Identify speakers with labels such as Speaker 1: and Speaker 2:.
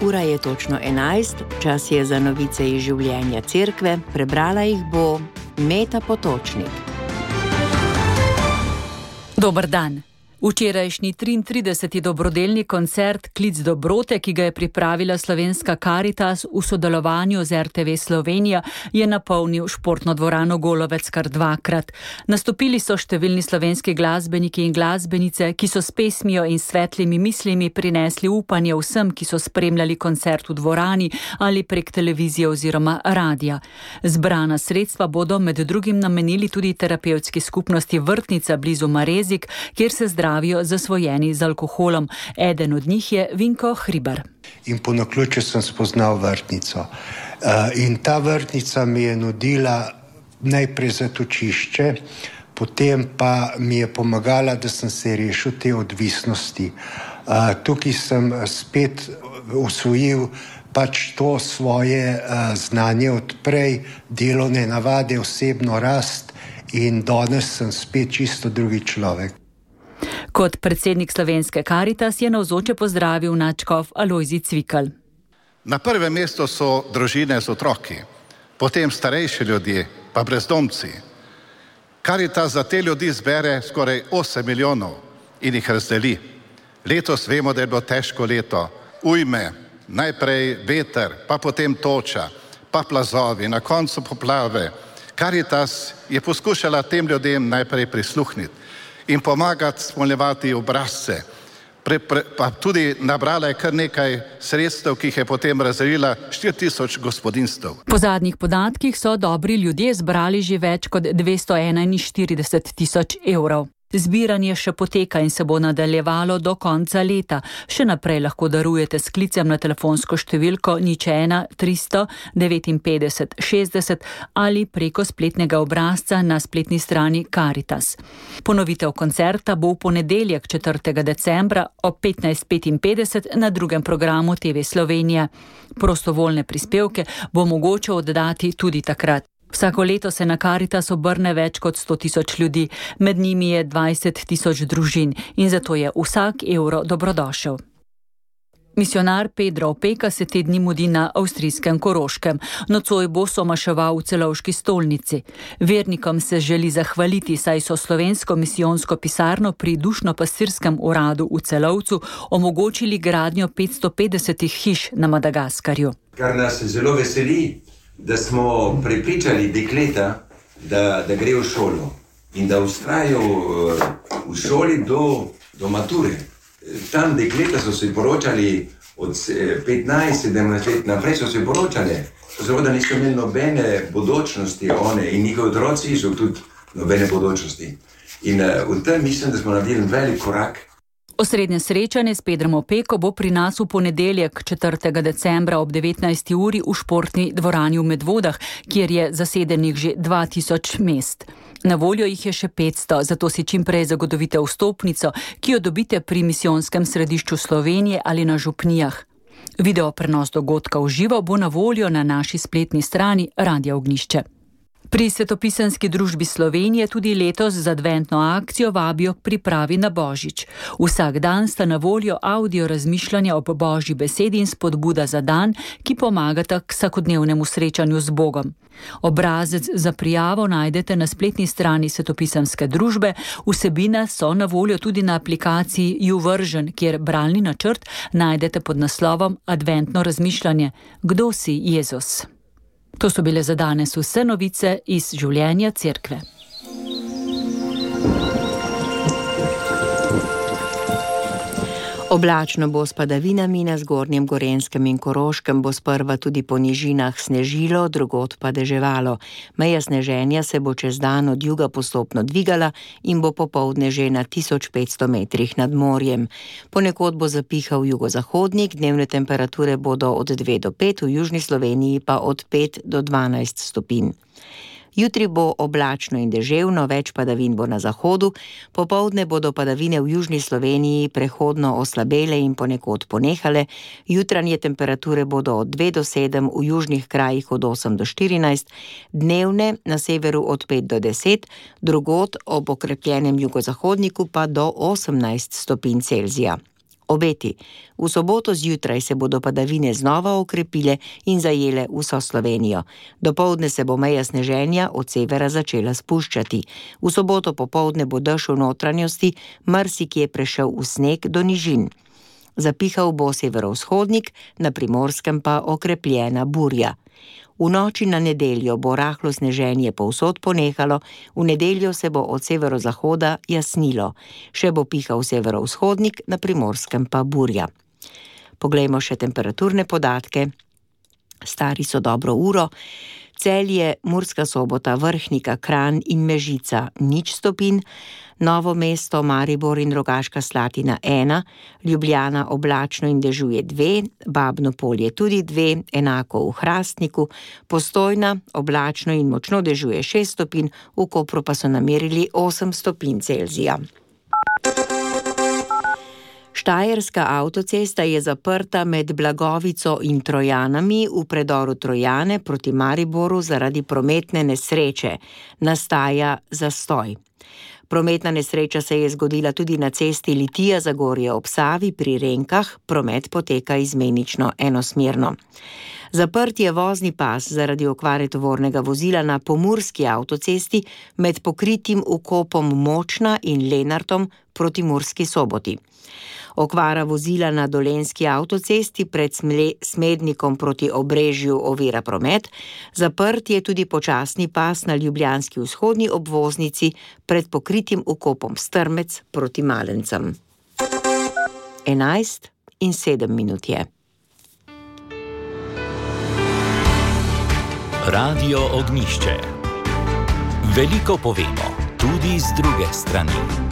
Speaker 1: ura je točno 11, čas je za novice iz življenja cerkve, prebrala jih bo Meta Potočnik.
Speaker 2: Dober dan. Včerajšnji 33. dobrodelni koncert Klic dobrote, ki ga je pripravila Slovenska Karitas v sodelovanju z RTV Slovenija, je napolnil športno dvorano Golovec kar dvakrat. Nastopili so številni slovenski glasbeniki in glasbenice, ki so s pesmijo in svetlimi mislimi prinesli upanje vsem, ki so spremljali koncert v dvorani ali prek televizije oziroma radia. Zbrana sredstva bodo med drugim namenili tudi terapevtski skupnosti Vrtnica blizu Marezik, kjer se zdravijo zasvojeni z alkoholom. Eden od njih je Vinko Hribar.
Speaker 3: In po naključju sem spoznal Vrtnico. In ta Vrtnica mi je nudila najprej zatočišče, potem pa mi je pomagala, da sem se rešil te odvisnosti. Tukaj sem spet usvojil pač to svoje znanje od prej, delovne navade, osebno rast in danes sem spet čisto drugi človek.
Speaker 2: Kot predsednik Slovenske Karitas je navzoče pozdravil nadškof Alojzij Cvikl.
Speaker 4: Na prvem mestu so družine z otroki, potem starejši ljudje, pa brezdomci. Karitas za te ljudi zbere skoraj 8 milijonov in jih razdeli. Letos vemo, da je bilo težko leto. Ujme, najprej veter, pa potem toča, pa plazovi, na koncu poplave. Karitas je poskušala tem ljudem najprej prisluhniti in pomagati spolnjevati obrazce. Pa tudi nabrala je kar nekaj sredstev, ki jih je potem razdelila 4000 gospodinjstev.
Speaker 2: Po zadnjih podatkih so dobri ljudje zbrali že več kot 241 000 evrov. Zbiranje še poteka in se bo nadaljevalo do konca leta. Še naprej lahko darujete s klicem na telefonsko številko 01 359 60 ali preko spletnega obrazca na spletni strani Karitas. Ponovitev koncerta bo v ponedeljek 4. decembra ob 15:55 na drugem programu TV Slovenije. Prostovoljne prispevke bo mogoče oddati tudi takrat. Vsako leto se na Karitas obrne več kot 100 000 ljudi, med njimi je 20 000 družin in zato je vsak evro dobrodošel. Misionar Pedro Opeka se te dni mudi na avstrijskem Koroškem. Nocoj bo somaševal v Celovški stolnici. Vernikom se želi zahvaliti, saj so slovensko misijonsko pisarno pri dušno-pastirskem uradu v Celovcu omogočili gradnjo 550 hiš na Madagaskarju.
Speaker 5: Kar nas zelo veseli, da smo prepričali dekleta, da gre v šolo in da vztrajajo v šoli do mature. Tam dekleta so se poročali od 15-17 let naprej so se poročali. Seveda niso imeli nobene bodočnosti one in njihovi otroci so tudi nobene bodočnosti. In v tem mislim, da smo naredili velik korak.
Speaker 2: Osrednje srečanje s Pedrom Opeko bo pri nas v ponedeljek 4. decembra ob 19. uri v športni dvorani v Medvodah, kjer je zasedenih že 2000 mest. Na voljo jih je še 500, zato si čim prej zagotovite vstopnico, ki jo dobite pri misijonskem središču Slovenije ali na župnijah. Video prenos dogodka v živo bo na voljo na naši spletni strani Radia Ognjišče. Pri Svetopisanski družbi Slovenije tudi letos z adventno akcijo vabijo k pripravi na Božič. Vsak dan sta na voljo audio razmišljanja ob Božji besedi in spodbuda za dan, ki pomagata k vsakodnevnemu srečanju z Bogom. Obrazec za prijavo najdete na spletni strani Svetopisanske družbe, vsebine so na voljo tudi na aplikaciji YouVersion, kjer bralni načrt najdete pod naslovom Adventno razmišljanje. Kdo si Jezus? To so bile za danes vse novice iz življenja cerkve.
Speaker 1: Oblačno bo s padavinami, na Zgornjem Gorenjskem in Koroškem bo sprva tudi po nižinah snežilo, drugod pa deževalo. Meja sneženja se bo čez dan od juga postopno dvigala in bo popoldne že na 1500 metrih nad morjem. Ponekod bo zapihal jugozahodnik, dnevne temperature bodo od 2 do 5, v južni Sloveniji pa od 5 do 12 stopinj. Jutri bo oblačno in deževno, več padavin bo na zahodu, popoldne bodo padavine v južni Sloveniji prehodno oslabele in ponekod ponehale, jutranje temperature bodo od 2 do 7, v južnih krajih od 8 do 14, dnevne na severu od 5 do 10, drugod ob okrepljenem jugozahodniku pa do 18 stopinj Celzija. Obeti. V soboto zjutraj se bodo padavine znova okrepile in zajele vso Slovenijo. Dopoldne se bo meja sneženja od severa začela spuščati. V soboto popoldne bo dež v notranjosti, marsikje prešel v sneg do nižin. Zapihal bo severovzhodnik, na Primorskem pa okrepljena burja. V noči na nedeljo bo rahlo sneženje povsod ponehalo, v nedeljo se bo od severozahoda jasnilo. Še bo pihal severovzhodnik, na Primorskem pa burja. Poglejmo še temperaturne podatke. Stari so dobro uro. Celje, Murska Sobota, Vrhnika, Kranj in Mežica 0 stopinj, Novo mesto, Maribor in Rogaška Slatina 1, Ljubljana oblačno in dežuje 2, Babno Polje tudi 2, enako v Hrastniku, Postojna oblačno in močno dežuje 6 stopinj, v Kopru pa so namerili 8 stopinj Celzija. Štajerska avtocesta je zaprta med Blagovico in Trojanami v predoru Trojane proti Mariboru zaradi prometne nesreče. Nastaja zastoj. Prometna nesreča se je zgodila tudi na cesti Litija-Zagorje ob Savi pri Renkah, promet poteka izmenično enosmerno. Zaprt je vozni pas zaradi okvare tovornega vozila na pomurski avtocesti med pokritim vkopom Močna in Lenartom proti Murski Soboti. Okvara vozila na dolenjski avtocesti pred Smednikom proti Obrežju ovira promet, zaprt je tudi počasni pas na ljubljanski vzhodni obvoznici pred pokritim vkopom Strmec proti Malencem. 11:07 je.
Speaker 6: Radio Ognjišče. Veliko povemo, tudi z druge strani.